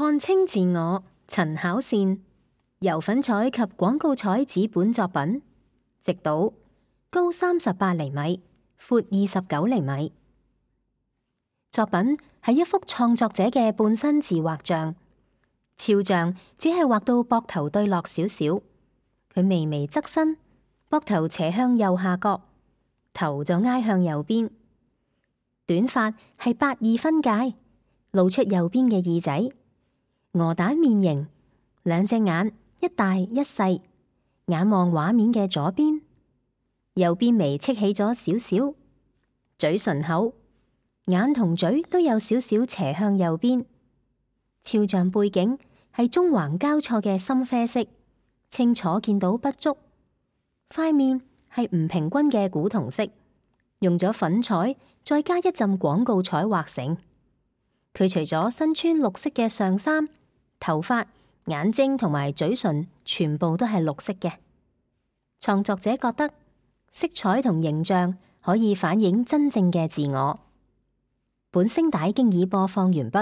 看清自我，陳巧善。油粉彩及廣告彩紙本作品，直島，高38厘米，闊29厘米。作品係一幅創作者嘅半身自畫像，肖像只係畫到膊頭對落少少，佢微微側身，膊頭斜向右下角，頭就挨向右邊。短髮係8-2分界，露出右邊嘅耳仔，鵝蛋面型，兩隻眼一大一細，眼望畫面嘅左邊，右邊眉戚起咗少少，嘴唇厚，眼同嘴都有少少斜向右邊。肖像背景係棕橫交錯嘅深啡色，清楚見到不足。塊面係唔平均嘅古銅色，用咗粉彩再加一浸廣告彩畫成。佢除咗身穿綠色嘅上衫，頭髮、眼睛同埋嘴唇全部都係綠色嘅。創作者覺得色彩同形象可以反映真正嘅自我。本聲帶經已播放完畢。